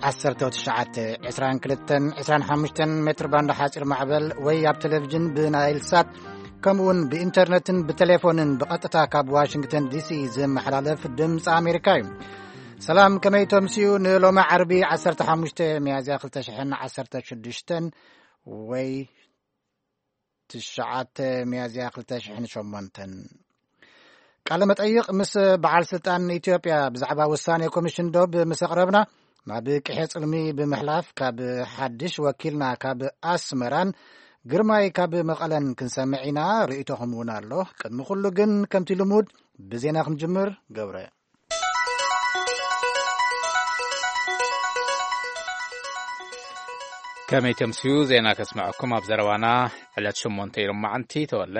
ዓሰርተ ትሽዓተ፣ ዕስራን ክልተን፣ ዕስራን ሓሙሽተን ሜትር ባንድ ሓፂር ማዕበል ወይ ኣብ ቴሌቪዥን ብናይል ሳት፣ ከምኡውን ብኢንተርነትን ብቴሌፎንን ብቐጥታ ካብ ዋሽንግተን ዲሲ ዝመሓላለፍ ድምፂ ኣሜሪካ እዩ። ሰላም፣ ከመይ ተምስዩ? ንሎሚ ዓርቢ ዓሰርተ ሓሙሽተ ሚያዝያ ክልተ ሽሕን ዓሰርተ ሽዱሽተን ወይ ትሽዓተ ሚያዝያ ክልተ ሽሕን ሸሞንተን። ቃለ መጠይቕ ምስ በዓል ስልጣን ኢትዮጵያ ብዛዕባ ውሳኔ ኮሚሽን ዶብ ምስ ኣቕረብና፣ ናብ ቅሔ ጽልሚ ብምሕላፍ ካብ ሓድሽ ወኪልና ካብ ኣስመራን ግርማይ ካብ መቐለን ክንሰምዕ ኢና። ርእይቶኹም እውን ኣሎ። ቅድሚ ኩሉ ግን ከምቲ ልሙድ ብዜና ክንጅምር። ገብረ። ከመይ ተምስዩ? ዜና ከስምዐኩም ኣብ ዘረባና ዕለት ሸሞንተ ኢሎም መዓንቲ ተወለ።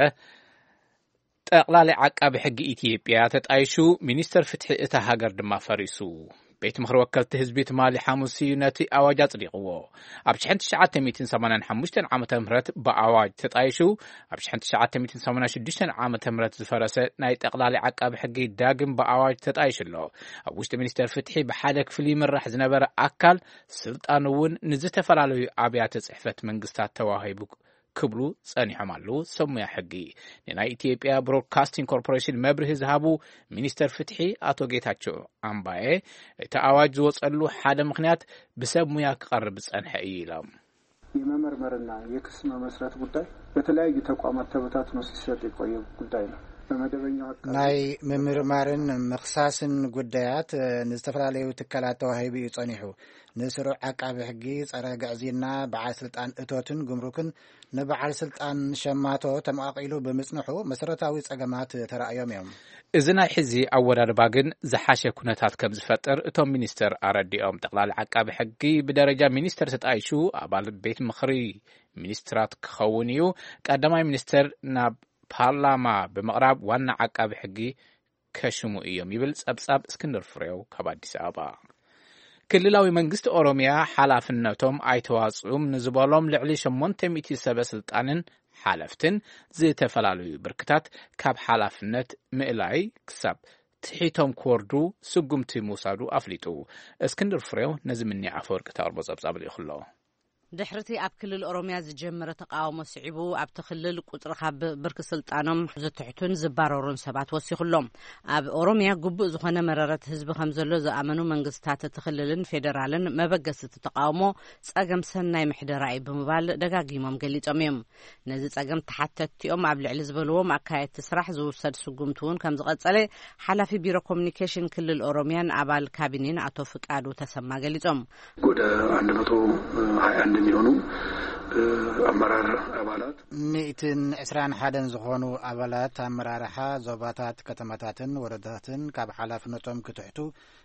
ጠቕላሊ ዓቃቢ ሕጊ ኢትዮጵያ ተጣይሹ፣ ሚኒስተር ፍትሒ እታ ሃገር ድማ ፈሪሱ። ቤት ምኽሪ ወከልቲ ህዝቢ ትማሊ ሓሙስ እዩ ነቲ ኣዋጅ ኣጽዲቕዎ። ኣብ ሽሕን ትሽዓተ ሚእትን ሰማንያን ሓሙሽተን ዓመተ ምህረት ብኣዋጅ ተጣይሹ፣ ኣብ ሽሕን ትሽዓተ ሚእትን ሰማንያን ሽዱሽተን ዓመተ ምህረት ዝፈረሰ ናይ ጠቕላሊ ዓቃቢ ሕጊ ዳግም ብኣዋጅ ተጣይሹ ኣሎ። ኣብ ውሽጢ ሚኒስተር ፍትሒ ብሓደ ክፍሊ ይምራሕ ዝነበረ ኣካል ስልጣን እውን ንዝተፈላለዩ ኣብያተ ጽሕፈት መንግስታት ተዋሂቡ ክብሉ ጸኒሖም ኣለዉ። ሰብ ሙያ ሕጊ ንናይ ኢትዮጵያ ብሮድካስቲንግ ኮርፖሬሽን መብርሂ ዝሃቡ ሚኒስተር ፍትሒ ኣቶ ጌታቸው ኣምባዬ፣ እቲ ኣዋጅ ዝወጸሉ ሓደ ምኽንያት ብሰብ ሙያ ክቐርብ ዝጸንሐ እዩ ኢሎም። የመመርመርና የክስ መመስረት ጉዳይ በተለያዩ ተቋማት ተበታትኖ ሲሰጥ የቆየ ጉዳይ ነው። በመደበኛው አካባቢ ናይ ምምርማርን ምኽሳስን ጉዳያት፣ እ፣ ንዝተፈላለዩ ትካላት ተዋሂቡ እዩ ጸኒሑ። ንስሩዕ ዓቃቢ ሕጊ፣ ጸረ ግዕዝይና፣ በዓል ስልጣን እቶትን ጉምሩክን ንበዓል ስልጣን ሸማቶ ተመቓቒሉ ብምጽንሑ መሰረታዊ ጸገማት ተራእዮም እዮም። እዚ ናይ ሕዚ ኣወዳድባ ግን ዝሓሸ ኩነታት ከም ዝፈጥር እቶም ሚኒስተር ኣረዲኦም። ጠቕላሊ ዓቃቢ ሕጊ ብደረጃ ሚኒስተር ተጣይሹ ኣባል ቤት ምኽሪ ሚኒስትራት ክኸውን እዩ። ቀዳማይ ሚኒስተር ናብ ፓርላማ ብምቕራብ ዋና ዓቃቢ ሕጊ ከሽሙ እዮም ይብል ጸብጻብ እስክንድር ፍሬው ካብ ኣዲስ ኣበባ። ክልላዊ መንግስቲ ኦሮሚያ ሓላፍነቶም ኣይተዋጽኡም ንዝበሎም ልዕሊ ሸሞንተ ሚእቲ ሰበ ስልጣንን ሓለፍትን ዝተፈላለዩ ብርክታት ካብ ሓላፍነት ምእላይ ክሳብ ትሒቶም ክወርዱ ስጉምቲ ምውሳዱ ኣፍሊጡ። እስክንድር ፍሬው ነዚ ምኒ ኣፈወርቂ ተቕርቦ ጸብጻብ ልኢኹ ኣሎ። ድሕርቲ ኣብ ክልል ኦሮሚያ ዝጀመረ ተቃውሞ ስዒቡ፣ ኣብቲ ክልል ቁጽሪ ካብ ብርኪ ስልጣኖም ዝትሕቱን ዝባረሩን ሰባት ወሲኹ ኣሎ። ኣብ ኦሮሚያ ግቡእ ዝኾነ መረረት ህዝቢ ከም ዘሎ ዝኣመኑ መንግስታት እቲ ክልልን ፌደራልን መበገሲ እቲ ተቃውሞ ጸገም ሰናይ ምሕደራ እዩ ብምባል ደጋጊሞም ገሊጾም እዮም። ነዚ ጸገም ተሓተትቲኦም ኣብ ልዕሊ ዝበልዎም ኣካየድቲ ስራሕ ዝውሰድ ስጉምቲ እውን ከም ዝቐጸለ ሓላፊ ቢሮ ኮሚኒኬሽን ክልል ኦሮሚያን ኣባል ካቢኔን ኣቶ ፍቃዱ ተሰማ ገሊጾም። ወደ አንድ መቶ ሃያ አንድ የሚሆኑ አመራር አባላት፣ ሚእትን ዕስራን ሓደን ዝኾኑ ኣባላት ኣመራርሓ ዞባታት፣ ከተማታትን ወረዳታትን ካብ ሓላፍነቶም ክትሕቱ፣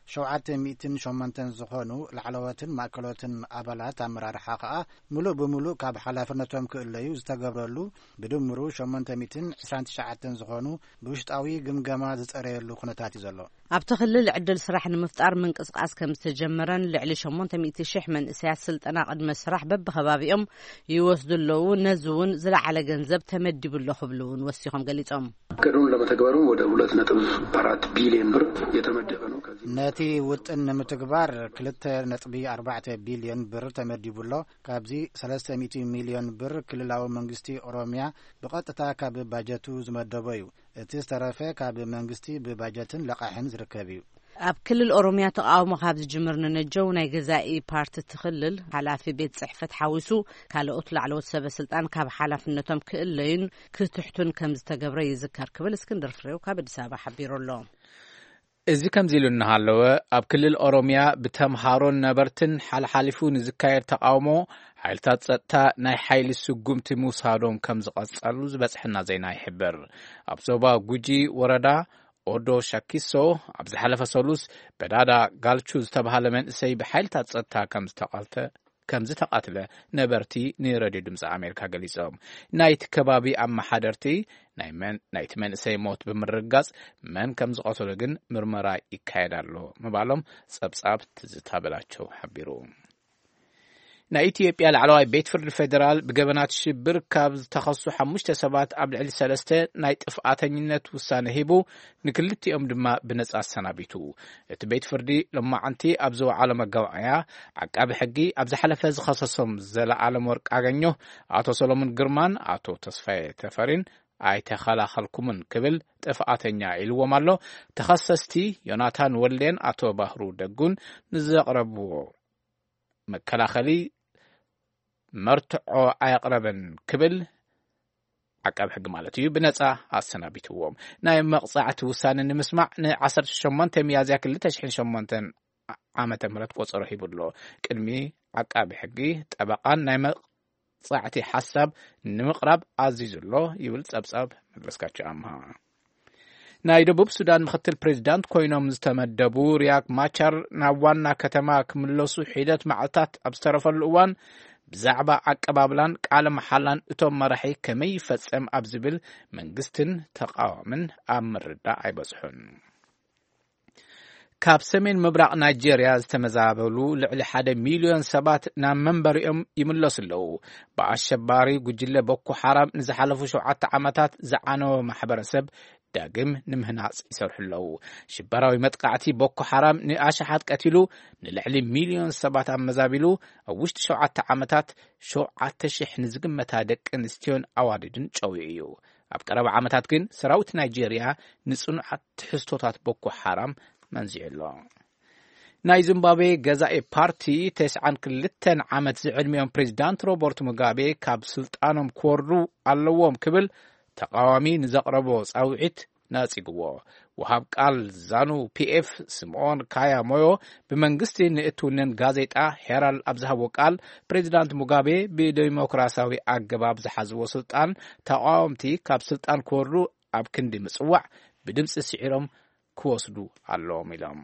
ሸውዓተ ሚእትን ሸሞንተን ዝኾኑ ላዕለዎትን ማእከሎትን ኣባላት ኣመራርሓ ከኣ ምሉእ ብምሉእ ካብ ሓላፍነቶም ክእለዩ ዝተገብረሉ፣ ብድምሩ ሸሞንተ ሚእትን ዕስራን ትሽዓተን ዝኾኑ ብውሽጣዊ ግምገማ ዝጸረየሉ ኩነታት እዩ ዘሎ። ኣብቲ ክልል ዕድል ስራሕ ንምፍጣር ምንቅስቃስ ከም ዝተጀመረን ልዕሊ ሸሞንተ ሚእቲ ሽሕ መንእሰያት ስልጠና ቅድመ ስራሕ በብከባቢኦም ይወስዱ ኣለዉ። ነዚ እውን ዝለዓለ ገንዘብ ተመዲቡ ኣሎ ክብሉ እውን ወሲኾም ገሊጾም። እቅዱን ለመተግበሩም ወደ ሁለት ነጥብ አራት ቢሊዮን ብር የተመደበ ነው። ከዚህ ነቲ ውጥን ንምትግባር ክልተ ነጥቢ ኣርባዕተ ቢልዮን ብር ተመዲቡ ኣሎ። ካብዚ ሰለስተ ሚእቲ ሚልዮን ብር ክልላዊ መንግስቲ ኦሮሚያ ብቐጥታ ካብ ባጀቱ ዝመደቦ እዩ። እቲ ዝተረፈ ካብ መንግስቲ ብባጀትን ለቓሕን ዝርከብ እዩ። ኣብ ክልል ኦሮሚያ ተቃውሞ ካብ ዝጅምር ንነጀው ናይ ገዛኢ ፓርቲ እቲ ክልል ሓላፊ ቤት ጽሕፈት ሓዊሱ ካልኦት ላዕለዎት ሰበ ስልጣን ካብ ሓላፍነቶም ክእለዩን ክትሕቱን ከም ዝተገብረ ይዝከር ክብል እስክንድር ፍሬው ካብ ኣዲስ ኣበባ ሓቢሩ ኣሎ። እዚ ከምዚ ኢሉ እናሃለወ፣ ኣብ ክልል ኦሮሚያ ብተምሃሮን ነበርትን ሓልሓሊፉ ንዝካየድ ተቃውሞ ሓይልታት ጸጥታ ናይ ሓይሊ ስጉምቲ ምውሳዶም ከም ዝቐጸሉ ዝበጽሐና ዜና ይሕብር። ኣብ ዞባ ጉጂ ወረዳ ኦዶ ሻኪሶ ኣብ ዝሓለፈ ሰሉስ በዳዳ ጋልቹ ዝተባሃለ መንእሰይ ብሓይልታት ጸጥታ ከም ዝተቐልተ ከም ዝተቐትለ ነበርቲ ንሬድዮ ድምፂ ኣሜሪካ ገሊጾም። ናይቲ ከባቢ ኣመሓደርቲ ናይ መን-፣ ናይቲ መንእሰይ ሞት ብምርግጋጽ መን ከም ዝቐተሎ ግን ምርመራ ይካየድ ኣሎ ምባሎም ጸብጻብ ትዝታ በላቸው ሓቢሩ። ናይ ኢትዮጵያ ላዕለዋይ ቤት ፍርዲ ፌደራል ብገበናት ሽብር ካብ ዝተኸሱ ሓሙሽተ ሰባት ኣብ ልዕሊ ሰለስተ ናይ ጥፍኣተኝነት ውሳነ ሂቡ፣ ንክልቲኦም ድማ ብነጻ ኣሰናቢቱ። እቲ ቤት ፍርዲ ሎማዓንቲ ኣብ ዝወዓሎ መጋባእያ፣ ዓቃቢ ሕጊ ኣብ ዝሓለፈ ዝኸሰሶም ዘለኣለም ወርቅ ኣገኘሁ፣ ኣቶ ሰሎሞን ግርማን ኣቶ ተስፋዬ ተፈሪን ኣይተኸላኸልኩምን ክብል ጥፍኣተኛ ኢልዎም ኣሎ። ተኸሰስቲ ዮናታን ወልዴን ኣቶ ባህሩ ደጉን ንዘቕረብዎ መከላኸሊ መርትዖ ኣየቕረበን ክብል፣ ዓቃቢ ሕጊ ማለት እዩ፣ ብነጻ ኣሰናቢትዎም። ናይ መቕጻዕቲ ውሳነ ንምስማዕ ን18 ሚያዝያ ክልተ ሽሕን ሸሞንተን ዓመተ ምህረት ቆጸሮ ሂቡ ኣሎ። ቅድሚ ዓቃቢ ሕጊ፣ ጠበቓን ናይ መቕጻዕቲ ሓሳብ ንምቕራብ ኣዚዙ ኣሎ ይብል ጸብጻብ መለስካቸው ኣምሃ። ናይ ደቡብ ሱዳን ምክትል ፕሬዚዳንት ኮይኖም ዝተመደቡ ሪያክ ማቻር ናብ ዋና ከተማ ክምለሱ ሒደት መዓልታት ኣብ ዝተረፈሉ እዋን፣ ብዛዕባ ኣቀባብላን ቃለ መሓላን እቶም መራሒ ከመይ ይፈጸም ኣብ ዝብል መንግስትን ተቃዋምን ኣብ ምርዳእ ኣይበጽሑን። ካብ ሰሜን ምብራቕ ናይጄርያ ዝተመዛበሉ ልዕሊ ሓደ ሚልዮን ሰባት ናብ መንበሪኦም ይምለሱ ኣለዉ። ብኣሸባሪ ጉጅለ ቦኮ ሓራም ንዝሓለፉ ሸውዓተ ዓመታት ዝዓነወ ማሕበረሰብ ዳግም ንምህናጽ ይሰርሑ ኣለዉ። ሽበራዊ መጥቃዕቲ ቦኮ ሓራም ንኣሽሓት ቀቲሉ፣ ንልዕሊ ሚልዮን ሰባት ኣመዛቢሉ፣ ኣብ ውሽጢ ሸውዓተ ዓመታት ሸውዓተ ሽሕ ንዝግመታ ደቂ ኣንስትዮን ኣዋልድን ጨዊዩ እዩ። ኣብ ቀረባ ዓመታት ግን ሰራዊት ናይጄርያ ንጽኑዓት ትሕዝቶታት ቦኮ ሓራም መንዚዑ ኣሎ። ናይ ዚምባብዌ ገዛኢ ፓርቲ፣ ተስዓን ክልተን ዓመት ዝዕድሚኦም ፕሬዚዳንት ሮበርት ሙጋቤ ካብ ስልጣኖም ክወርዱ ኣለዎም ክብል ተቃዋሚ ንዘቕረቦ ጻውዒት ነጺግዎ። ወሃብ ቃል ዛኑ ፒኤፍ ስምኦን ካያ ሞዮ ብመንግስቲ ንእትውነን ጋዜጣ ሄራል ኣብ ዝሃቦ ቃል፣ ፕሬዚዳንት ሙጋቤ ብዴሞክራሲያዊ ኣገባብ ዝሓዝዎ ስልጣን፣ ተቃወምቲ ካብ ስልጣን ክወርዱ ኣብ ክንዲ ምጽዋዕ፣ ብድምጺ ስዒሮም ክወስዱ ኣለዎም ኢሎም።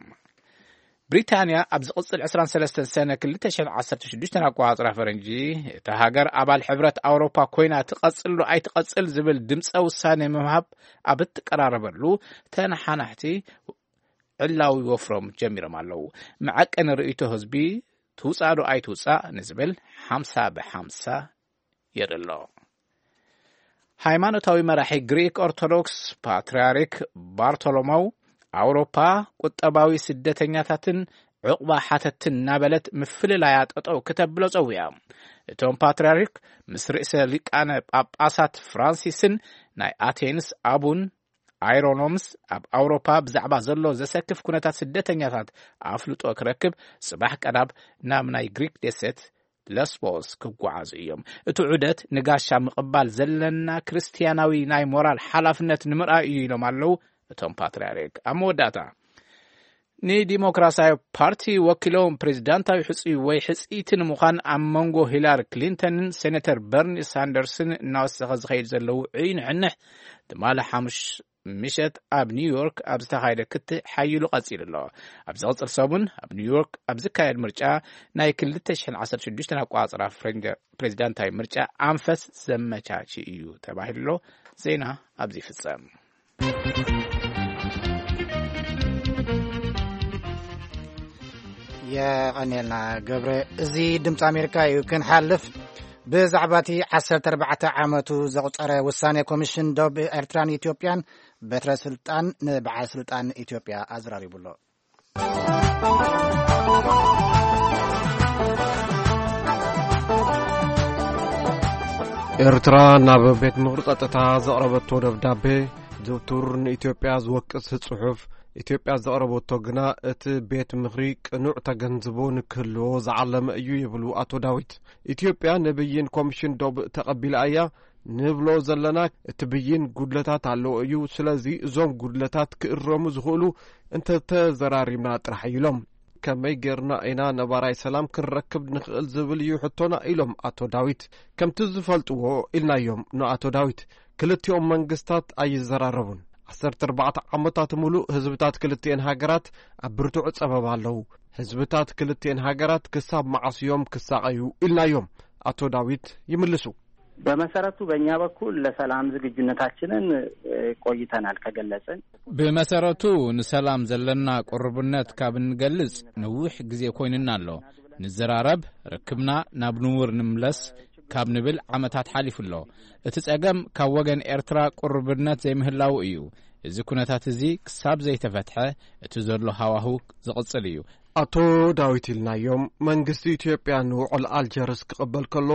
ብሪታንያ ኣብ ዝቕጽል ዕስራን ሰለስተን ሰነ ክልተ ሽሕን ዓሰርተ ሽዱሽተን ኣቆጻጽራ ፈረንጂ፣ እታ ሃገር ኣባል ሕብረት ኣውሮፓ ኮይና ትቐጽል ዶ ኣይትቐጽል ዝብል ድምጸ ውሳኔ ምሃብ ኣብ እትቀራረበሉ፣ ተነሓናሕቲ ዕላዊ ወፍሮም ጀሚሮም ኣለዉ። መዐቀኒ ርእይቶ ህዝቢ ትውጻእ ዶ ኣይትውጻእ ንዝብል ሓምሳ ብሓምሳ የርኢ ኣሎ። ሃይማኖታዊ መራሒ ግሪክ ኦርቶዶክስ ፓትርያርክ ባርቶሎሞው፣ ኣውሮፓ ቁጠባዊ ስደተኛታትን ዕቑባ ሓተትን እናበለት ምፍልላያ ጠጠው ክተብሎ ጸዊዓ። እቶም ፓትርያርክ ምስ ርእሰ ሊቃነ ጳጳሳት ፍራንሲስን ናይ ኣቴንስ ኣቡን ኣይሮኖምስ ኣብ ኣውሮፓ ብዛዕባ ዘሎ ዘሰክፍ ኩነታት ስደተኛታት ኣፍልጦ ክረክብ ጽባሕ ቀዳም ናብ ናይ ግሪክ ደሴት ለስቦስ ክጓዓዙ እዮም። እቲ ዑደት ንጋሻ ምቕባል ዘለና ክርስትያናዊ ናይ ሞራል ሓላፍነት ንምርኣይ እዩ ኢሎም ኣለዉ እቶም ፓትርያርክ። ኣብ መወዳእታ፣ ንዲሞክራሲያዊ ፓርቲ ወኪሎም ፕሬዚዳንታዊ ሕጹይ ወይ ሕጽይቲ ንምዃን ኣብ መንጎ ሂላሪ ክሊንተንን ሴኔተር በርኒ ሳንደርስን እናወሰኸ ዝኸይድ ዘሎ ውዑይ ንሕንሕ፣ ትማሊ ሓሙስ ምሸት ኣብ ኒውዮርክ ኣብ ዝተኻየደ ክትዕ ሓይሉ ቀጺሉ ኣሎ። ኣብ ዝቕጽል ሰሙን ኣብ ኒውዮርክ ኣብ ዝካየድ ምርጫ፣ ናይ ክልተ ሽሕን ዓሰርተ ሽዱሽተን ኣቋጽራ ፍሬንደ-፣ ፕሬዚዳንታዊ ምርጫ ኣንፈት ዘመቻች እዩ ተባሂሉ ኣሎ። ዜና ኣብዚ ይፍጸም። የቐኔልና ገብረ። እዚ ድምፂ ኣሜሪካ እዩ። ክንሓልፍ፣ ብዛዕባ እቲ ዓሰርተ ኣርባዕተ ዓመቱ ዘቑፀረ ውሳኔ ኮሚሽን ዶብ ኤርትራን ኢትዮጵያን፣ በትረ ስልጣን ንበዓል ስልጣን ኢትዮጵያ ኣዘራሪቡ ኣሎ። ኤርትራ ናብ ቤት ምኽሪ ጸጥታ ዘቕረበቶ ደብዳቤ፣ ዝውቱር ንኢትዮጵያ ዝወቅስ ጽሑፍ፣ ኢትዮጵያ ዘቕረበቶ ግና እቲ ቤት ምኽሪ ቅኑዕ ተገንዝቦ ንክህልዎ ዝዓለመ እዩ ይብሉ ኣቶ ዳዊት። ኢትዮጵያ ንብይን ኮሚሽን ዶብ ተቐቢላ እያ ንብሎ ዘለና፣ እቲ ብይን ጉድለታት ኣለዎ እዩ። ስለዚ እዞም ጉድለታት ክእረሙ ዝኽእሉ እንተተዘራሪብና ጥራሕ እዩ ኢሎም። ከመይ ጌርና ኢና ነባራይ ሰላም ክንረክብ ንኽእል ዝብል እዩ ሕቶና ኢሎም ኣቶ ዳዊት። ከምቲ ዝፈልጥዎ ኢልናዮም ንኣቶ ዳዊት። ክልቲኦም መንግስታት ኣይዘራረቡን። ዓሰርተ ኣርባዕተ ዓመታት ሙሉእ ህዝብታት ክልቲኤን ሃገራት ኣብ ብርቱዕ ጸበባ ኣለዉ። ህዝብታት ክልቲኤን ሃገራት ክሳብ መዓስ እዮም ክሳቐዩ ኢልናዮም። ኣቶ ዳዊት ይምልሱ። በመሰረቱ በእኛ በኩል ለሰላም ዝግጁነታችንን፣ እ፣ ቆይተናል ከገለጽን። ብመሰረቱ ንሰላም ዘለና ቅርቡነት ካብ እንገልጽ ነዊሕ ግዜ ኮይንና ኣሎ። ንዘራረብ፣ ርክብና ናብ ንቡር ንምለስ ካብ ንብል ዓመታት ሓሊፉ ኣሎ። እቲ ጸገም ካብ ወገን ኤርትራ ቅሩብነት ዘይምህላዉ እዩ። እዚ ኩነታት እዚ ክሳብ ዘይተፈትሐ፣ እቲ ዘሎ ሃዋህው ዝቕጽል እዩ። ኣቶ ዳዊት ኢልናዮም፣ መንግስቲ ኢትዮጵያ ንውዕል ኣልጀርስ ክቕበል ከሎ፣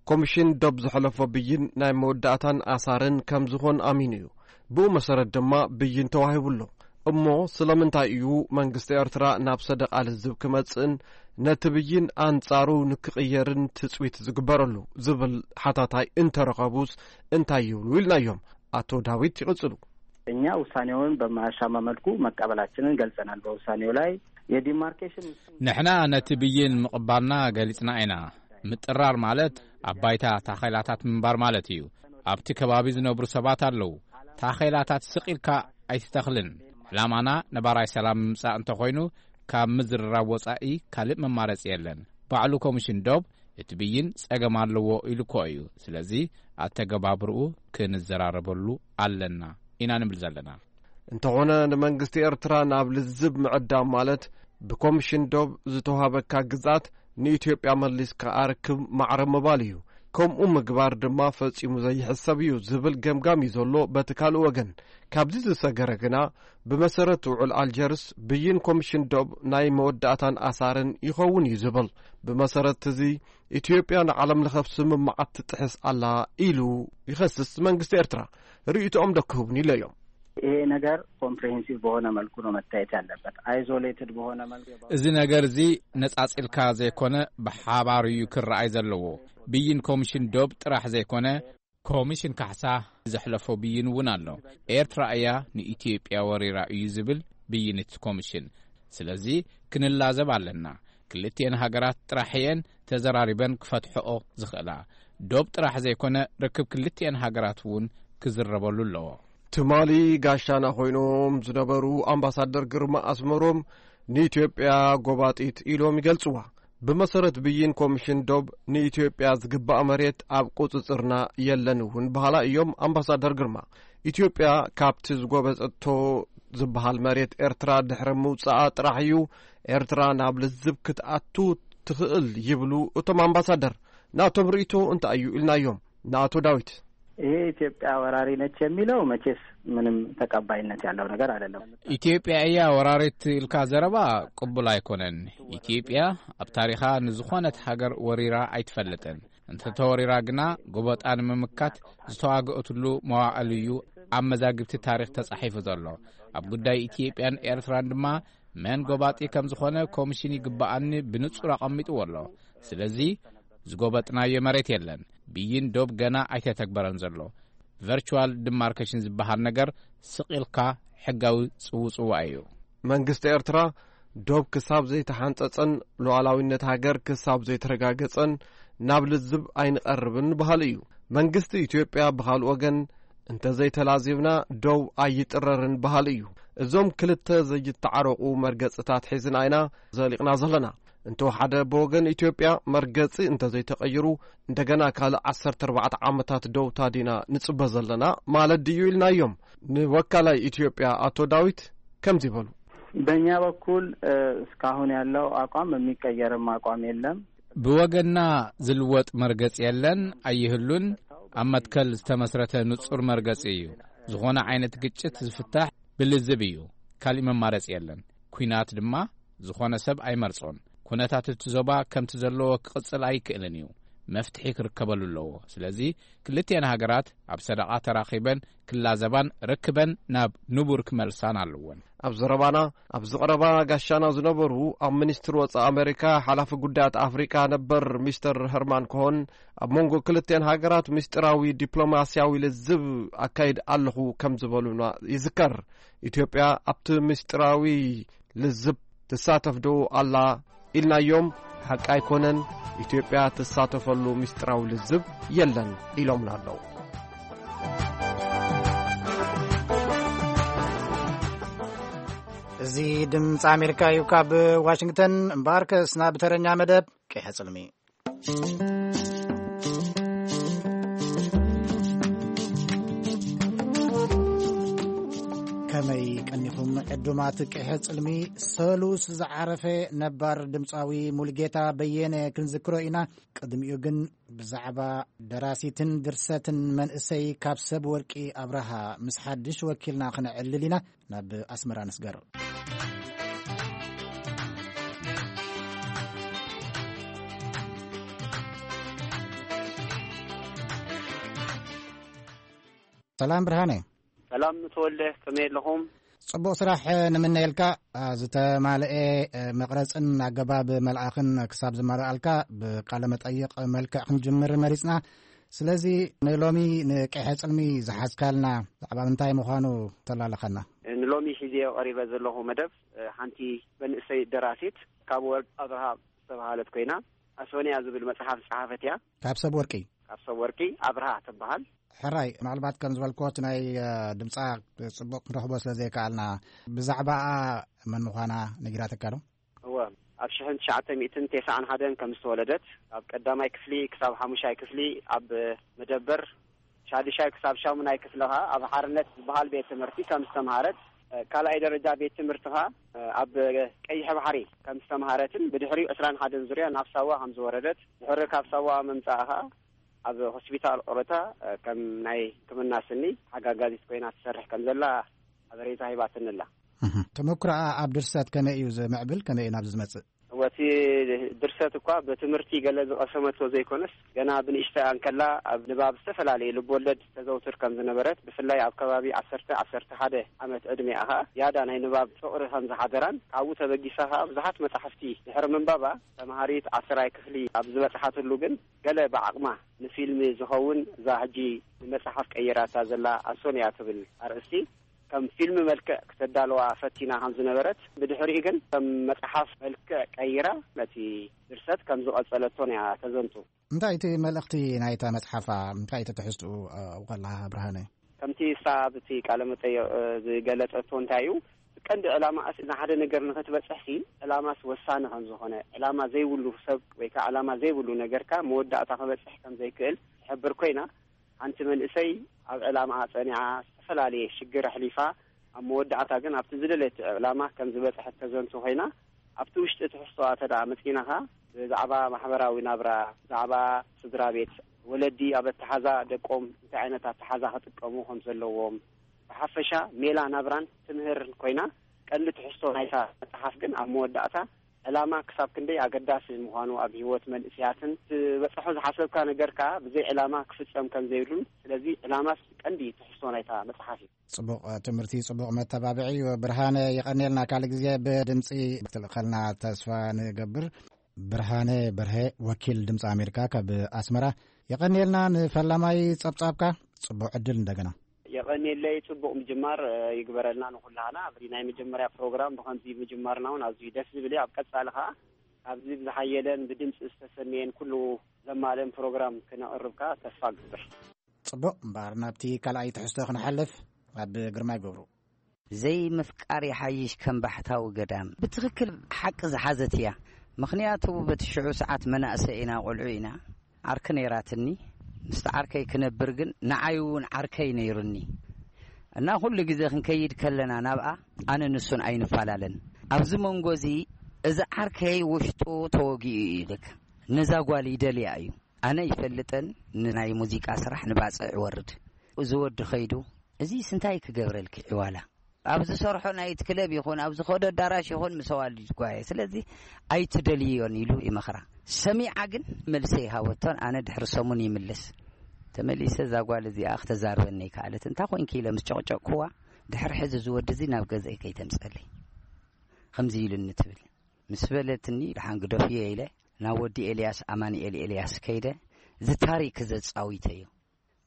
ኮሚሽን ዶብ ዘሕለፎ ብይን ናይ መወዳእታን ኣሳርን ከም ዝኾን ኣሚኑ እዩ። ብኡ መሰረት ድማ ብይን ተዋሂቡ ኣሎ። እሞ ስለምንታይ እዩ መንግስቲ ኤርትራ ናብ ሰደቓ ልዝብ ክመጽእን ነቲ ብይን ኣንጻሩ ንክቕየርን ትጽቢት ዝግበረሉ ዝብል ሓታታይ እንተረኸቡስ እንታይ ይብሉ ኢልናዮም። ኣቶ ዳዊት ይቕጽሉ። እኛ ውሳኔውን በማያሻማ መልኩ መቀበላችንን ገልጸናል። በውሳኔው ላይ የዲማርኬሽን ንሕና ነቲ ብይን ምቕባልና ገሊጽና ኢና። ምጥራር ማለት ኣብ ባይታ ታኼላታት ምንባር ማለት እዩ። ኣብቲ ከባቢ ዝነብሩ ሰባት ኣለዉ። ታኼላታት ስቕ ኢልካ ኣይትተኽልን። ዕላማና ነባራይ ሰላም ምምጻእ እንተኾይኑ፣ ካብ ምዝርራብ ወጻኢ ካልእ መማረጺ የለን። ባዕሉ ኮሚሽን ዶብ እቲ ብይን ጸገም ኣለዎ ኢሉ እኮ እዩ። ስለዚ ኣተገባብርኡ ክንዘራረበሉ ኣለና ኢና ንብል ዘለና። እንተኾነ ንመንግስቲ ኤርትራ ናብ ልዝብ ምዕዳም ማለት ብኮሚሽን ዶብ ዝተዋሃበካ ግዝኣት ንኢትዮጵያ መሊስካ ኣርክብ ማዕረ ምባል እዩ። ከምኡ ምግባር ድማ ፈጺሙ ዘይሕሰብ እዩ ዝብል ገምጋም እዩ ዘሎ በቲ ካልእ ወገን። ካብዚ ዝሰገረ ግና ብመሰረት ውዕል ኣልጀርስ ብይን ኮሚሽን ዶብ ናይ መወዳእታን ኣሳርን ይኸውን እዩ ዝብል። ብመሰረት እዚ ኢትዮጵያ ንዓለም ለኸ ስምምዓት ትጥሕስ ኣላ ኢሉ ይኸስስ መንግስቲ ኤርትራ። ርእይቶኦም ዶ ክህቡን ኢለዮም። ይሄ ነገር ኮምፕሬሄንሲቭ በሆነ መልኩ ነው መታየት ያለበት። አይዞሌትድ በሆነ መልኩ እዚ ነገር እዚ ነጻጺልካ ዘይኮነ ብሓባር እዩ ክረኣይ ዘለዎ። ብይን ኮሚሽን ዶብ ጥራሕ ዘይኮነ ኮሚሽን ካሕሳ ዘሕለፎ ብይን እውን ኣሎ። ኤርትራ እያ ንኢትዮጵያ ወሪራ እዩ ዝብል ብይን እቲ ኮሚሽን። ስለዚ ክንላዘብ ኣለና። ክልቲኤን ሃገራት ጥራሕ እየን ተዘራሪበን ክፈትሕኦ ዝኽእላ። ዶብ ጥራሕ ዘይኮነ ርክብ ክልቲኤን ሃገራት እውን ክዝረበሉ ኣለዎ። ትማሊ ጋሻና ኮይኖም ዝነበሩ ኣምባሳደር ግርማ ኣስመሮም ንኢትዮጵያ ጎባጢት ኢሎም ይገልጽዋ። ብመሰረት ብይን ኮሚሽን ዶብ ንኢትዮጵያ ዝግባእ መሬት ኣብ ቁጽጽርና የለን እውን በሃላ እዮም ኣምባሳደር ግርማ። ኢትዮጵያ ካብቲ ዝጎበጠቶ ዝበሃል መሬት ኤርትራ ድሕሪ ምውጻኣ ጥራሕ እዩ ኤርትራ ናብ ልዝብ ክትኣቱ ትኽእል ይብሉ እቶም ኣምባሳደር። ናቶም ርእይቶ እንታይ እዩ ኢልናዮም ንኣቶ ዳዊት። ይሄ ኢትዮጵያ ወራሪ ነች የሚለው መቼስ ምንም ተቀባይነት ያለው ነገር አይደለም። ኢትዮጵያ እያ ወራሪት ኢልካ ዘረባ ቅቡል ኣይኮነን። ኢትዮጵያ ኣብ ታሪኻ ንዝኾነት ሃገር ወሪራ ኣይትፈልጥን። እንተተወሪራ ግና ጎበጣ ንምምካት ዝተዋገእትሉ መዋዕል እዩ ኣብ መዛግብቲ ታሪኽ ተጻሒፉ ዘሎ። ኣብ ጉዳይ ኢትዮጵያን ኤርትራን ድማ መን ጎባጢ ከም ዝኾነ ኮሚሽን ይግባኣኒ ብንጹር ኣቐሚጥዎ ኣሎ። ስለዚ ዝጎበጥናዮ መሬት የለን። ብይን ዶብ ገና ኣይተተግበረን ዘሎ። ቨርቹዋል ዲማርኬሽን ዝበሃል ነገር ስቕ ኢልካ ሕጋዊ ጽውጽዋ እዩ። መንግስቲ ኤርትራ ዶብ ክሳብ ዘይተሓንጸጸን ሉዓላዊነት ሃገር ክሳብ ዘይተረጋገጸን ናብ ልዝብ ኣይንቐርብን በሃሊ እዩ። መንግስቲ ኢትዮጵያ ብኻልእ ወገን እንተዘይተላዚብና ዶብ ኣይጥረርን በሃሊ እዩ። እዞም ክልተ ዘይተዓረቑ መርገጽታት ሒዝና ኢና ዘሊቕና ዘለና። እንተወሓደ ብወገን ኢትዮጵያ መርገጺ እንተዘይተቐይሩ እንደገና ካልእ ዓሰርተ ኣርባዕተ ዓመታት ዶብ ታዲና ንጽበ ዘለና ማለት ድዩ ኢልናዮም። ንወካላይ ኢትዮጵያ ኣቶ ዳዊት ከምዚ በሉ። በእኛ በኩል እስካሁን ያለው አቋም የሚቀየርም አቋም የለም። ብወገንና ዝልወጥ መርገጽ የለን፣ ኣይህሉን። ኣብ መትከል ዝተመስረተ ንጹር መርገጽ እዩ። ዝኾነ ዓይነት ግጭት ዝፍታሕ ብልዝብ እዩ። ካሊእ መማረጽ የለን። ኲናት ድማ ዝኾነ ሰብ ኣይመርጾን። ኩነታት እቲ ዞባ ከምቲ ዘለዎ ክቕጽል ኣይክእልን እዩ። መፍትሒ ክርከበሉ ኣለዎ። ስለዚ ክልቲኤን ሃገራት ኣብ ሰደቓ ተራኺበን ክላዘባን ርክበን ናብ ንቡር ክመልሳን ኣለወን። ኣብ ዘረባና ኣብዚ ቀረባ ጋሻና ዝነበሩ ኣብ ሚኒስትሪ ወጻኢ ኣሜሪካ ሓላፊ ጉዳያት ኣፍሪቃ ነበር ሚስተር ሄርማን ኮሆን ኣብ መንጎ ክልቲኤን ሃገራት ምስጢራዊ ዲፕሎማስያዊ ልዝብ ኣካይድ ኣለኹ ከም ዝበሉና ይዝከር። ኢትዮጵያ ኣብቲ ምስጢራዊ ልዝብ ትሳተፍ ዶ ኣላ ኢልናዮም። ሓቂ ኣይኮነን፣ ኢትዮጵያ ትሳተፈሉ ምስጢራዊ ልዝብ የለን ኢሎምና ኣለዉ። እዚ ድምፂ ኣሜሪካ እዩ። ካብ ዋሽንግተን እምበኣርከስ ናብ ተረኛ መደብ ቀይሐ ጽልሚ። ከመይ ቀኒኹም ዕዱማት ቅሐ ጽልሚ ሰሉስ ዝዓረፈ ነባር ድምጻዊ ሙልጌታ በየነ ክንዝክሮ ኢና። ቅድሚኡ ግን ብዛዕባ ደራሲትን ድርሰትን መንእሰይ ካብ ሰብ ወርቂ ኣብርሃ ምስ ሓድሽ ወኪልና ክነዕልል ኢና። ናብ ኣስመራ ንስገር። ሰላም ብርሃነ። ሰላም ተወልደ፣ ከመይ ኣለኹም? ጽቡቕ ስራሕ ንምነየልካ። ዝተማልኤ መቕረጽን ኣገባብ መልኣኽን ክሳብ ዝመልኣልካ ብቃለ መጠይቕ መልክዕ ክንጅምር መሪጽና። ስለዚ ንሎሚ ንቅሐ ጽልሚ ዝሓዝካልና ዛዕባ ምንታይ ምዃኑ ተላለኸና። ንሎሚ ሒዜ ቀሪበ ዘለኹ መደብ ሓንቲ መንእሰይ ደራሲት ካብ ወርቅ ኣብርሃ ዝተባሃለት ኮይና ኣሶንያ ዝብል መጽሓፍ ዝጸሓፈት እያ። ካብ ሰብ ወርቂ? ካብ ሰብ ወርቂ ኣብርሃ ትበሃል። ሕራይ፣ ምናልባት ከም ዝበልክዎ እቲ ናይ ድምጻ ጽቡቕ ክንረኽቦ ስለ ዘይከኣልና ብዛዕባኣ መን ምዃና ነጊራትካ ዶ? እወ፣ ኣብ ሽሕን ትሽዓተ ሚእትን ተስዓን ሓደን ከም ዝተወለደት፣ ኣብ ቀዳማይ ክፍሊ ክሳብ ሓሙሻይ ክፍሊ ኣብ መደበር፣ ሻድሻይ ክሳብ ሻሙናይ ክፍሊ ኸኣ ኣብ ሓርነት ዝበሃል ቤት ትምህርቲ ከም ዝተምሃረት፣ ካልኣይ ደረጃ ቤት ትምህርቲ ኸኣ ኣብ ቀይሕ ባሕሪ ከም ዝተምሃረትን ብድሕሪኡ ዕስራን ሓደን ዙርያ ናብ ሳዋ ከም ዝወረደት፣ ድሕሪ ካብ ሳዋ ምምጻእ ኸኣ ኣብ ሆስፒታል ኦሮታ ከም ናይ ሕክምና ስኒ ሓጋጋዚት ኮይና ትሰርሕ ከም ዘላ ሓበሬታ ሂባትኒ ኣላ። ተመኩሮኣ ኣብ ድርሰት ከመይ እዩ ዝምዕብል? ከመይ እዩ ናብዚ ዝመጽእ? እወ፣ እቲ ድርሰት እኳ ብትምህርቲ ገለ ዝቐሰመቶ ዘይኮነስ፣ ገና ብንእሽተያ እንከላ ኣብ ንባብ ዝተፈላለዩ ልብወለድ ተዘውትር ከም ዝነበረት፣ ብፍላይ ኣብ ከባቢ ዓሰርተ ዓሰርተ ሓደ ዓመት ዕድሜኣ ኸኣ ዝያዳ ናይ ንባብ ፍቕሪ ከም ዝሓደራን፣ ካብኡ ተበጊሳ ኸኣ ብዙሓት መጻሕፍቲ ድሕሪ ምንባባ፣ ተምሃሪት ዓስራይ ክፍሊ ኣብ ዝበጽሓትሉ ግን፣ ገለ ብዓቕማ ንፊልም ዝኸውን እዛ ሕጂ ንመጽሓፍ ቀይራታ ዘላ ኣሶንያ ትብል ኣርእስቲ ከም ፊልም መልክዕ ክተዳለዋ ፈቲና ከም ዝነበረት፣ ብድሕሪኡ ግን ከም መጽሓፍ መልክዕ ቀይራ ነቲ ድርሰት ከም ዝቐጸለቶን እያ ተዘንቱ። እንታይ እቲ መልእኽቲ ናይታ መጽሓፋ? እንታይ እቲ ትሕዝትኡ ኣብኡ ከለኻ ብርሃነ? ከምቲ እሳ ኣብቲ ቃለ መጠይቕ ዝገለጸቶ እንታይ እዩ፣ ቀንዲ ዕላማ እስ ንሓደ ነገር ንኽትበጽሕ ሲ ዕላማስ ወሳኒ ከም ዝኾነ፣ ዕላማ ዘይብሉ ሰብ ወይ ከዓ ዕላማ ዘይብሉ ነገርካ መወዳእታ ክበጽሕ ከም ዘይክእል ትሕብር ኮይና፣ ሓንቲ መንእሰይ ኣብ ዕላማኣ ጸኒዓ፣ ዝተፈላለየ ሽግር ኣሕሊፋ፣ ኣብ መወዳእታ ግን ኣብቲ ዝደለየቶ ዕላማ ከም ዝበጽሐት ተዘንቱ ኮይና፣ ኣብቲ ውሽጢ ትሕዝቶኣ ተደኣ መጺእናኻ፣ ብዛዕባ ማሕበራዊ ናብራ፣ ብዛዕባ ስድራ ቤት፣ ወለዲ ኣብ ኣተሓዛ ደቆም እንታይ ዓይነት ኣተሓዛ ክጥቀሙ ከም ዘለዎም፣ ብሓፈሻ ሜላ ናብራን ትምህርን ኮይና፣ ቀንዲ ትሕዝቶ ናይታ መጽሓፍ ግን ኣብ መወዳእታ ዕላማ ክሳብ ክንደይ ኣገዳሲ ምዃኑ ኣብ ህይወት መንእሰያትን፣ ትበጽሖ ዝሓሰብካ ነገር ከኣ ብዘይ ዕላማ ክፍጸም ከም ዘይብሉን፣ ስለዚ ዕላማስ ቀንዲ ትሕዝቶ ናይታ መጽሓፍ እዩ። ጽቡቕ ትምህርቲ፣ ጽቡቕ መተባብዒ እዩ። ብርሃነ፣ የቐንየልና። ካልእ ግዜ ብድምጺ ክትልእኸልና ተስፋ ንገብር። ብርሃነ በርሀ፣ ወኪል ድምጺ ኣሜሪካ ካብ ኣስመራ፣ የቐንየልና ንፈላማይ ጸብጻብካ። ጽቡቕ ዕድል እንደገና። የቐንየለይ፣ ጽቡቕ ምጅማር፣ እ፣ ይግበረልና ንኹላህና። ኣብዚ ናይ መጀመርያ ፕሮግራም ብኸምዚ ምጅማርና እውን ኣዝዩ ደስ ዝብል እዩ። ኣብ ቀጻሊ ኸኣ ካብዚ ብዝሓየለን ብድምጺ ዝተሰነየን ኩሉ ዘማልእን ፕሮግራም ክነቕርብ ከኣ ተስፋ እገብር። ጽቡቕ እምበኣር፣ ናብቲ ካልኣይ ትሕዝቶ ክንሓልፍ፣ ኣብ ግርማይ ገብሩ። ዘይምፍቃር ይሓይሽ ከም ባሕታዊ ገዳም። ብትኽክል ሓቂ ዝሓዘት እያ። ምኽንያቱ በቲ ሽዑ ሰዓት መናእሰይ ኢና፣ ቆልዑ ኢና። ዓርኪ ነይራትኒ። ምስቲ ዓርከይ ክነብር ግን ንዓይ እውን ዓርከይ ነይሩኒ። እና ኩሉ ግዜ ክንከይድ ከለና ናብኣ ኣነ ንሱን ኣይንፈላለን። ኣብዚ መንጎ እዚ እዚ ዓርከይ ውሽጡ ተወጊኡ እዩ። ልክ ነዛ ጓል ይደልያ እዩ። ኣነ ይፈልጠን ንናይ ሙዚቃ ስራሕ ንባጽዕ ይወርድ። እዚ ወዲ ኸይዱ፣ "እዚስ እንታይ ክገብረልኪ ዕዋላ? ኣብ ዝሰርሖ ናይት ክለብ ይኹን ኣብ ዝኸዶ ኣዳራሽ ይኹን ምስ ኣዋልድ ይጓየ። ስለዚ ኣይትደልዮን" ኢሉ ይመኽራ። ሰሚዓ ግን መልሲ ይሃበቶን ኣነ ድሕሪ ሰሙን ይምልስ። ተመሊሰ እዛ ጓል እዚኣ ክተዛርበኒ ይከኣለት። "እንታይ ኮንኪ?" ኢለ ምስ ጨቕጨቕኩዋ፣ "ድሕሪ ሕዚ እዚ ወዲ እዚ ናብ ገዛይ ከይተምጸለይ ከምዚ ኢሉኒ" ትብል። ምስ በለትኒ፣ "ደሓን ግደፍዮ" ኢለ ናብ ወዲ ኤልያስ፣ ኣማኑኤል ኤልያስ ከይደ፣ እዚ ታሪክ ዘጻዊተዮ።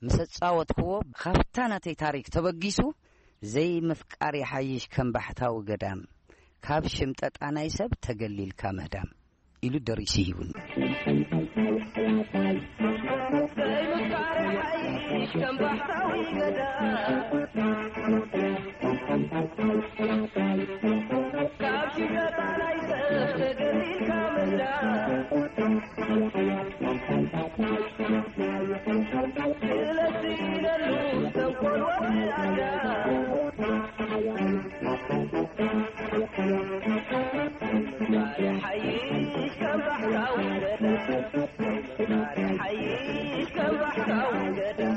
ምስ ኣጻወትክዎ፣ ካብታ ናተይ ታሪክ ተበጊሱ፣ "ዘይምፍቃር ይሓይሽ ከም ባሕታዊ ገዳም፣ ካብ ሽምጠጣ ናይ ሰብ ተገሊልካ ምህዳም" ኢሉ ደሪሱ ሂቡኒ። ሓይሽ ካብ ባሕታዊ ገዳም፣ ሓይሽ ካብ ባሕታዊ ገዳም።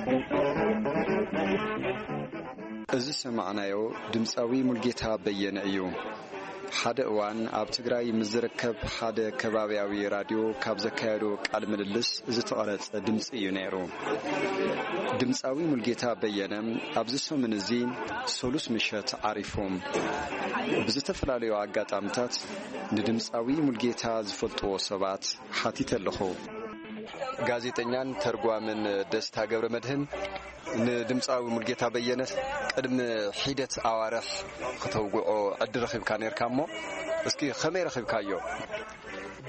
እዚ ዝሰማዕናዮ ድምፃዊ ሙልጌታ በየነ እዩ። ሓደ እዋን ኣብ ትግራይ ምስ ዝርከብ ሓደ ከባብያዊ ራድዮ ካብ ዘካየዶ ቃል ምልልስ ዝተቐረጸ ድምፂ እዩ ነይሩ። ድምፃዊ ሙልጌታ በየነ ኣብዚ ሰሙን እዚ ሰሉስ ምሸት ዓሪፉ። ብዝተፈላለዩ ኣጋጣሚታት ንድምፃዊ ሙልጌታ ዝፈልጥዎ ሰባት ሓቲተ ኣለኹ። ጋዜጠኛን ተርጓምን ደስታ ገብረ መድህን ንድምፃዊ ሙልጌታ በየነ ቅድሚ ሒደት ኣዋርሕ ክተውግዖ ዕድል ረኺብካ ነርካ እሞ፣ እስኪ ከመይ ረኺብካዮ?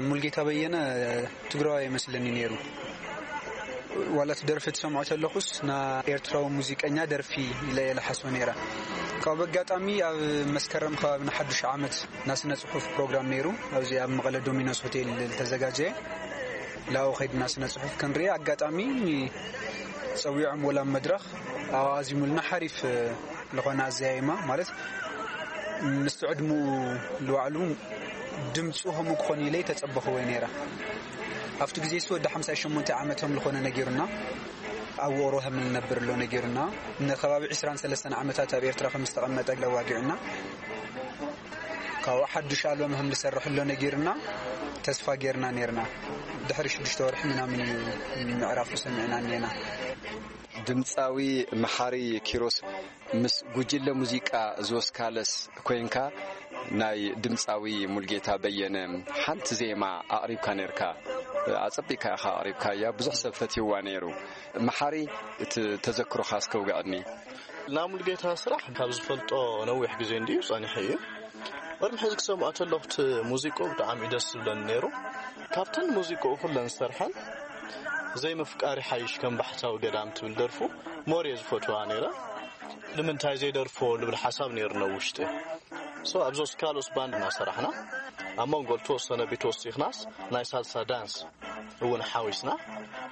ሙልጌታ በየነ ትግራዋይ ይመስለኒ ነይሩ። ዋላ እቲ ደርፊ ትሰምዖ ተለኹስ፣ ና ኤርትራዊ ሙዚቀኛ ደርፊ ኢለ እየ ልሓስቦ ነይረ። ካብ ኣጋጣሚ ኣብ መስከረም ከባቢ ንሓዱሽ ዓመት ና ስነ ጽሑፍ ፕሮግራም ነይሩ፣ ኣብዚ ኣብ መቐለ ዶሚኖስ ሆቴል ዝተዘጋጀየ። ላው ኸይድና ስነ ጽሑፍ ክንርኢ ኣጋጣሚ ጸዊዖም ወላ መድረኽ ኣዚሙልና ሓሪፍ ዝኾነ ኣዘያይማ ማለት ምስቲ ዕድሙ ልባዕሉ ድምፁ ከምኡ ክኾን ኢለ ተጸበኽዎ ነይረ። ኣብቲ ግዜ እሱ ወዲ ሓምሳ ሸሞንተ ዓመቶም ዝኾነ ነጊሩና፣ ኣብ ውቕሮ ከም እንነብር ኣሎ ነጊሩና፣ ንከባቢ ዕስራን ሰለስተን ዓመታት ኣብ ኤርትራ ከም ዝተቐመጠ ለዋጊዑና፣ ካብኡ ሓዱሽ ኣልበም ከም ዝሰርሕ ኣሎ ነጊሩና፣ ተስፋ ጌርና ኔርና። ድሕሪ ሽዱሽተ ወርሒ ምናምን እዩ ምዕራፉ ሰሚዕና እኔና። ድምፃዊ መሓሪ ኪሮስ ምስ ጉጅለ ሙዚቃ ዞስካለስ ኮይንካ ናይ ድምፃዊ ሙልጌታ በየነ ሓንቲ ዜማ ኣቕሪብካ ነርካ። ኣጸቢካ ኢኻ ኣቕሪብካያ፣ ብዙሕ ሰብ ፈትይዋ ነይሩ። መሓሪ፣ እቲ ተዘክሮኻ እስከ ውግዐኒ። ና ሙልጌታ ስራሕ ካብ ዝፈልጦ ነዊሕ ግዜ እንድዩ ጸኒሑ እዩ። ቅድሚ ሕዚ ክሰምዖ ተለኹ እቲ ሙዚቅኡ ብጣዕሚ እዩ ደስ ዝብለኒ ነይሩ። ካብተን ሙዚቅኡ ኩለን ዝሰርሐን ዘይምፍቃር ይሓይሽ ከም ባሕታዊ ገዳም ትብል ደርፉ ሞር እየ ዝፈትዋ ነይረ። ንምንታይ ዘይደርፎ ልብል ሓሳብ ነይሩ ነው ውሽጢ። ሶ ኣብዚ ኦስካሎስ ባንድ እናሰራሕና ኣብ መንጎ ዝተወሰነ ቢት ወሲኽናስ ናይ ሳልሳ ዳንስ እውን ሓዊስና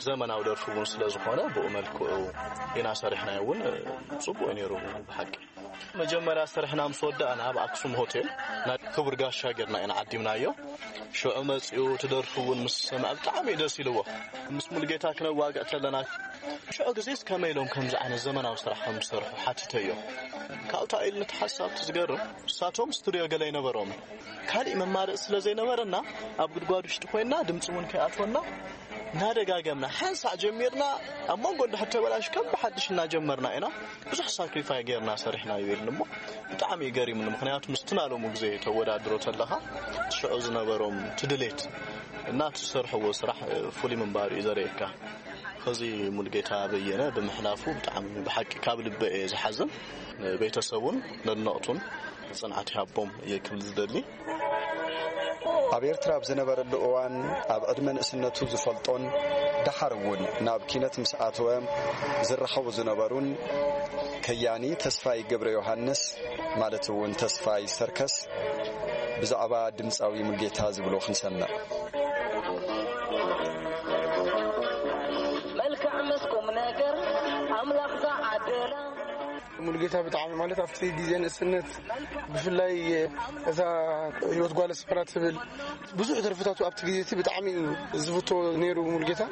ዘመናዊ ደርፊ እውን ስለ ዝኾነ ብኡ መልክዑ ኢና ሰሪሕናዮ እውን ጽቡቅ እዩ ነይሩ ብሓቂ። መጀመርያ ስርሕና ምስ ወዳእና ኣብ ኣክሱም ሆቴል ናይ ክቡር ጋሻ ጌርና ኢና ዓዲምናዮ። ሽዑ መጺኡ እቲ ደርፊ እውን ምስ ሰምዐ ብጣዕሚ እዩ ደስ ኢልዎ። ምስ ሙሉጌታ ክነዋግዕ ተለና ሽዑ ግዜስ ከመይ ኢሎም ከምዚ ዓይነት ዘመናዊ ስራሕ ከም ዝሰርሑ ሓቲተዮ። ካብኡ እንታይ ኢሉ ነቲ ሓሳብ እቲ ዝገርም ንሳቶም ስቱድዮ ገለ ኣይነበሮምን። ካሊእ መማረፂ ስለ ዘይነበረና ኣብ ጉድጓድ ውሽጢ ኮይንና ድምፂ እውን ከይኣትወና እናደጋገምና ሓንሳእ ጀሚርና ኣብ መንጎ እንድሕር ተበላሽ ከም ብሓድሽ እናጀመርና ኢና ብዙሕ ሳክሪፋይ ጌርና ሰሪሕና እዩ ኢሉኒ እሞ ብጣዕሚ እዩ ገሪሙኒ። ምኽንያቱ ምስቲ ናሎሙ ግዜ ተወዳድሮ ተለኻ ሽዑ ዝነበሮም ትድሌት እና ትሰርሕዎ ስራሕ ፍሉይ ምንባሩ እዩ ዘርእየካ። ኸዚ ሙሉጌታ በየነ ብምሕላፉ ብጣዕሚ ብሓቂ ካብ ልበ እየ ዝሓዝን። ንቤተሰቡን ነድነቕቱን ጽንዓት ይሃቦም እየ ክብል ዝደሊ። ኣብ ኤርትራ ኣብ ዝነበረሉ እዋን ኣብ ዕድመ ንእስነቱ ዝፈልጦን ደሓር እውን ናብ ኪነት ምስ ኣተወ ዝራኸቡ ዝነበሩን ከያኒ ተስፋይ ገብረ ዮሃንስ ማለት እውን ተስፋይ ሰርከስ ብዛዕባ ድምፃዊ ሙሉጌታ ዝብሎ ክንሰምዕ። መልክዕ ምስ ቁም ነገር ኣምላኽ ዝዓደላ። ሙሉጌታ ብጣዕሚ ማለት ኣብቲ ግዜ ንእስነት ብፍላይ እዛ ህይወት ጓል ኣስመራ ትብል ብዙሕ ደርፍታቱ ኣብቲ ግዜ እቲ ብጣዕሚ ዝፍቶ ነይሩ ሙሉጌታ።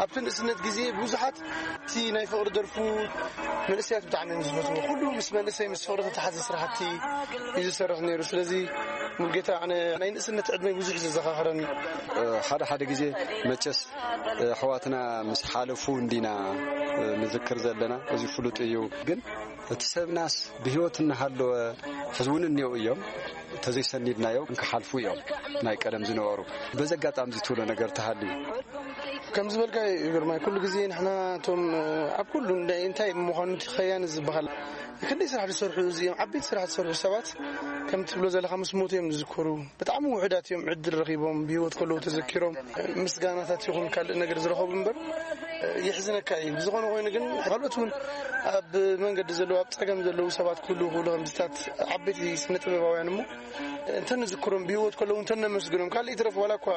ኣብቲ ንእስነት ግዜ ብዙሓት እቲ ናይ ፍቕሪ ደርፉ መንእሰያት ብጣዕሚ እዮም ዝፈትዎ። ኩሉ ምስ መንእሰይ ምስ ፍቕሪ ተተሓዘ ስራሕቲ እዩ ዝሰርሕ ነይሩ። ስለዚ ሙሉጌታ ኣነ ናይ ንእስነት ዕድመይ ብዙሕ እዩ ዘዘኻኽረኒ። ሓደ ሓደ ግዜ መቸስ ኣሕዋትና ምስ ሓለፉ እንዲና ንዝክር ዘለና፣ እዚ ፍሉጥ እዩ። ግን እቲ ሰብናስ ብህይወት እናሃለወ ሕዚ እውን እኒኦ እዮም። ተዘይሰኒድናዮ ክሓልፉ እዮም ናይ ቀደም ዝነበሩ። በዚ ኣጋጣሚ እዚ ትብሎ ነገር ተሃልዩ? ከም ዝበልካ እዩ ግርማይ፣ ኩሉ ግዜ ንሕና እቶም ኣብ ኩሉ እንታይ እንታይ ምዃኑ እቲ ከያኒ ዝበሃል ክንደይ ስራሕ ዝሰርሑ እዚኦም ዓበይቲ ስራሕ ዝሰርሑ ሰባት ከም ትብሎ ዘለኻ ምስ ሞቱ እዮም ዝዝከሩ። ብጣዕሚ ውሑዳት እዮም ዕድል ረኺቦም ብህይወት ከለዉ ተዘኪሮም ምስጋናታት ይኹን ካልእ ነገር ዝረኸቡ እምበር የሕዝነካ እዩ። ብዝኾነ ኮይኑ ግን ካልኦት እውን ኣብ መንገዲ ዘለዉ ኣብ ጸገም ዘለዉ ሰባት ክህልዉ ይኽእሉ ከምዚታት ዓበይቲ ስነ ጥበባውያን እሞ እንተንዝክሮም ብህይወት ከለዉ እንተነመስግኖም ካልእ ይትረፍ ዋላ እኳ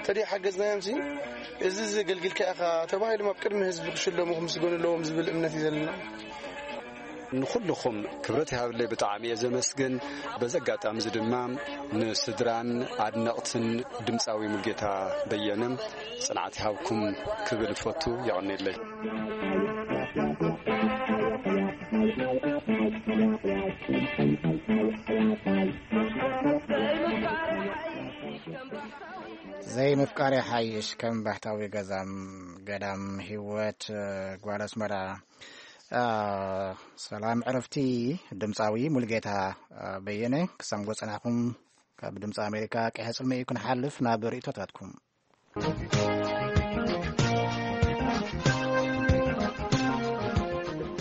ተደይ ሓገዝናዮም ሲ እዚ ዘገልግልካ ኢኻ ተባሂሎም ኣብ ቅድሚ ህዝቢ ክሽለሙ ክምስገኑ ኣለዎም ዝብል እምነት እዩ ዘለና። ንኹልኹም ክብረት ይሃብለይ፣ ብጣዕሚ እየ ዘመስግን። በዚ ኣጋጣሚ እዚ ድማ ንስድራን ኣድነቕትን ድምፃዊ ሙልጌታ በየነ ጽንዓት ይሃብኩም ክብል እፈቱ። የቐንየለይ። ዘይምፍቃር ይሓይሽ ከም ባህታዊ ገዛም ገዳም ህይወት ጓል ኣስመራ። ሰላም ዕረፍቲ ድምፃዊ ሙልጌታ በየነ ክሰምጎ ጸናኹም። ካብ ድምፂ ኣሜሪካ ቀይሐ ጽልሚ እዩ ክንሓልፍ ናብ ርእቶታትኩም።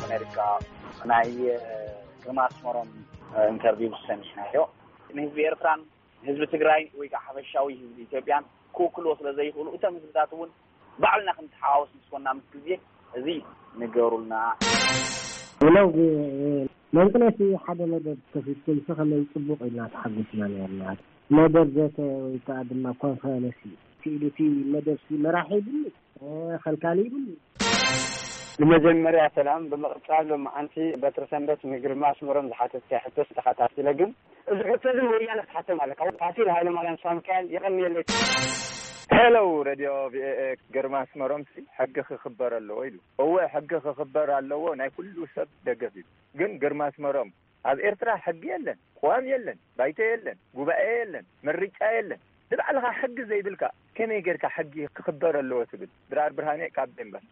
ኣሜሪካ ናይ ግርማ ኣስመሮም ኢንተርቪው ሰሚዕናዮ። ንህዝቢ ኤርትራን ህዝቢ ትግራይ ወይ ከዓ ሓፈሻዊ ህዝቢ ኢትዮጵያን ክውክልዎ ስለ ዘይኽእሉ፣ እቶም ህዝብታት እውን ባዕልና ክንተሓዋወስ ምስ ኮና ምስ ግዜ እዚ ንገሩልና። ለው መንቅነሲ ሓደ መደብ ከፊትኩም ከመይ ጽቡቕ ኢልና ተሓጒስና ነርና። መደብ ዘተ ወይ ከዓ ድማ ኮንፈረንስ እዩ። እቲ ኢሉ እቲ መደብ ሲ መራሒ ይብሉ፣ ኸልካሊ ይብሉ። ንመጀመርያ ሰላም። ብምቕጻል ሎማዓንቲ በትሪ ሰንበት ንግርማ ኣስመሮም ዝሓተትካዮ ሕቶስ ተኸታቲለ፣ ግን እዚ ሕቶ እዚ ንወያነ ክትሓቶም ኣለካ። ፋሲል ሃይለማርያም ሳምካኤል፣ የቐንየለይ። ሄሎ፣ ሬድዮ ቪኦኤ። ግርማ ኣስመሮምሲ ሕጊ ክኽበር ኣለዎ ኢሉ። እወ፣ ሕጊ ክኽበር ኣለዎ፣ ናይ ኩሉ ሰብ ደገፍ እዩ። ግን ግርማ ኣስመሮም፣ ኣብ ኤርትራ ሕጊ የለን፣ ቅዋም የለን፣ ባይቶ የለን፣ ጉባኤ የለን፣ ምርጫ የለን። ንባዕልኻ ሕጊ ዘይብልካ ከመይ ጌርካ ሕጊ ክኽበር ኣለዎ ትብል? ድራር ብርሃኔ ካብ ዴንቨር።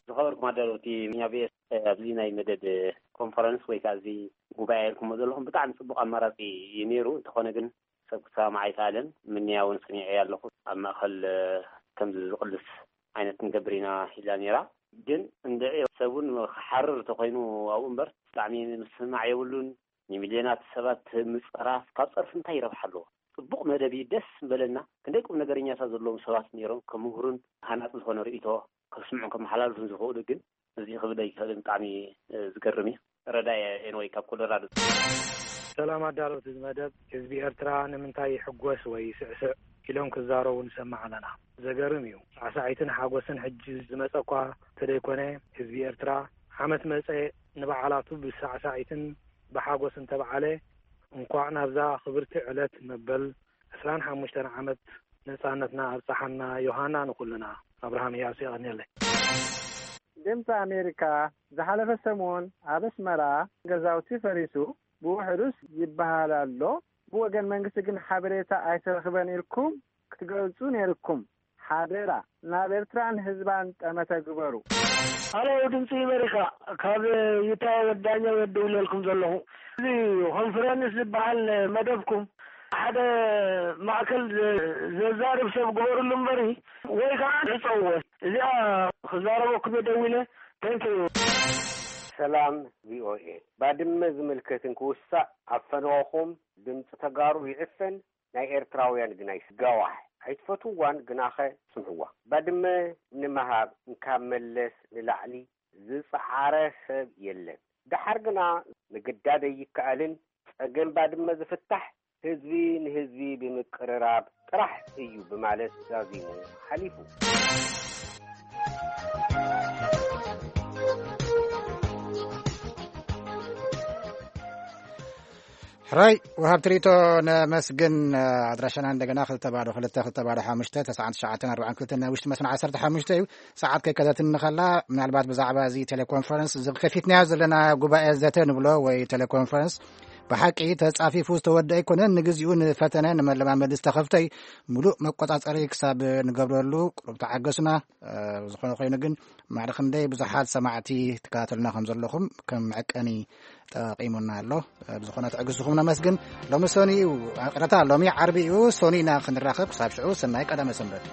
ዝኸበርኩም ኣዳለውቲ ሚኛ ቪኦኤ፣ ኣብዚ ናይ መደብ ኮንፈረንስ ወይ ከዓ እዚ ጉባኤ ኢልኩሞ ዘለኹም ብጣዕሚ ጽቡቕ ኣማራጺ እዩ ነይሩ። እንተኾነ ግን ሰብ ክሰማማዕ ኣይከኣለን። ምንያ እውን ሰሚዐያ ኣለኹ። ኣብ ማእከል፣ እ፣ ከምዚ ዝቕልስ ዓይነት ንገብር ኢና ኢላ ነይራ። ግን እንድዒ ሰብ እውን ክሓርር እንተኾይኑ ኣብኡ እምበር ብጣዕሚ ምስማዕ የብሉን። ንሚልዮናት ሰባት ምጽራፍ ካብ ጸርፊ እንታይ ይረብሓ ኣለዎ? ጽቡቕ መደብ እዩ፣ ደስ ምበለና። ክንደይ ቁም ነገረኛታት ዘለዎም ሰባት ነይሮም፣ ከምህሩን ሃናጺ ዝኾነ ርእይቶ ከስምዑን ከመሓላልፉን ዝኽእሉ፣ ግን እዚ ክብል ኣይክእልን። ብጣዕሚ፣ እ፣ ዝገርም እዩ። ረዳኢ ኤንወይ ካብ ኮሎራዶ። ሰላም ኣዳለውቲ እዚ መደብ፣ ህዝቢ ኤርትራ ንምንታይ ይሕጎስ ወይ ይስዕስዕ ኢሎም ክዛረቡ ንሰምዕ ኣለና። ዘገርም እዩ። ሳዕሳዒትን ሓጎስን ሕጂ ዝመጸ እኳ እንተደይኮነ፣ ህዝቢ ኤርትራ ዓመት መጸ ንበዓላቱ ብሳዕሳዒትን ብሓጎስን ተበዓለ። እንኳዕ ናብዛ ክብርቲ ዕለት መበል ዕስራን ሓሙሽተን ዓመት ነጻነትና ኣብጽሓና ዮሃና ንኹልና። ኣብርሃም እያሱ የቐንየለይ። ድምፂ ኣሜሪካ ዝሓለፈ ሰሙን ኣብ ኣስመራ ገዛውቲ ፈሪሱ ብውሕዱስ ይበሃል ኣሎ። ብወገን መንግስቲ ግን ሓበሬታ ኣይተረኽበን ኢልኩም ክትገልጹ ነይርኩም። ሓደራ ናብ ኤርትራን ህዝባን ጠመተ ግበሩ። ሃሎ ድምፂ ኣሜሪካ፣ ካብ ዩታ ወዳኛ ወደውለልኩም ዘለኹ። እዚ ኮንፈረንስ ዝበሃል መደብኩም ሓደ ማእከል ዘ-፣ ዘዛርብ ሰብ ግበርሉ እምበሪ፣ ወይ ከዓ ዕፀውዎ። እዚኣ ክዛረበኩም እየ ደዊለ። Thank you። ሰላም ቪኦኤ። ባድመ ዝምልከትን ክውሳእ ኣብ ፈነወኹም ድምፂ ተጋሩ ይዕፈን፣ ናይ ኤርትራውያን ግና ይስጋዋሕ። ኣይትፈትውዋን ግናኸ ስምዕዋ። ባድመ ንምሃብ እንካብ መለስ ንላዕሊ ዝጸዓረ ሰብ የለን። ደሓር ግና ምግዳድ ኣይከኣልን። ጸገም ባድመ ዝፍታሕ ህዝቢ ንህዝቢ ብምቅርራብ ጥራሕ እዩ ብማለት ዛዚሙ ሓሊፉ። ሕራይ ወሃብቲ ርእይቶ ነመስግን። ኣድራሻና እንደገና ክልተ ባዶ ክልተ ክልተ ባዶ ሓሙሽተ ተስዓን ትሽዓተን ኣርባዓን ክልተን ናይ ውሽጢ መስመር ዓሰርተ ሓሙሽተ እዩ። ሰዓት ከይከደትኒ ከላ ምናልባት ብዛዕባ እዚ ቴሌኮንፈረንስ እዚ ከፊትናዮ ዘለና ጉባኤ ዘተ ንብሎ ወይ ቴሌኮንፈረንስ ብሓቂ ተጻፊፉ ዝተወደአ ኣይኮነን። ንግዚኡ ንፈተነ ንመለማመዲ ዝተኸፍተ እዩ። ሙሉእ መቆጻጸሪ ክሳብ ንገብረሉ ቁሩብ ተዓገሱና። እ፣ ዝኾነ ኮይኑ ግን ማዕረ ክንደይ ብዙሓት ሰማዕቲ ትከታተሉና ከም ዘለኹም ከም መዐቀኒ ጠቂሙና ኣሎ። እ፣ ብዝኾነ ትዕግስትኹም ነመስግን። ሎሚ ሰኑይ እዩ፣ ይቕረታ፣ ሎሚ ዓርቢ እዩ። ሰኑይ ኢና ክንራኸብ። ክሳብ ሽዑ ሰናይ ቀዳመ ሰንበት።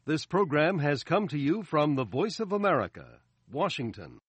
This program has come to you from the Voice of America, Washington.